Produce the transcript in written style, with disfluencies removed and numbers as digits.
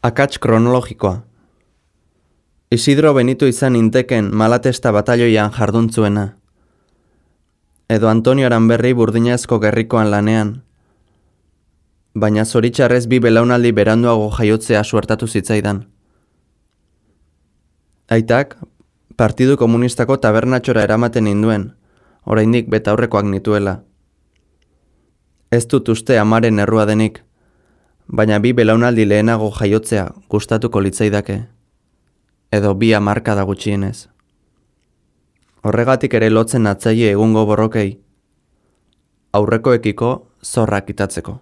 Akats kronologikoa. Isidro Benito izan inteken Malatesta batalioian jarduntzuena. Edo Antonio Aranberri burdinazko gerrikoan lanean. Baina zoritxarrez bi belaunaldi beranduago jaiotzea suertatu zitzaidan. Aitak, Partidu Komunistako tabernatxora eramaten induen, oraindik betaurrekoak nituela. Ez dut uste amaren errua denik, baina bi belaunaldi lehenago jaiotzea gustatuko litzaidake, edo bi hamarkada gutxienez. Horregatik ere lotzen atzaile egungo borrokei, aurrekoekiko zorrak itatzeko.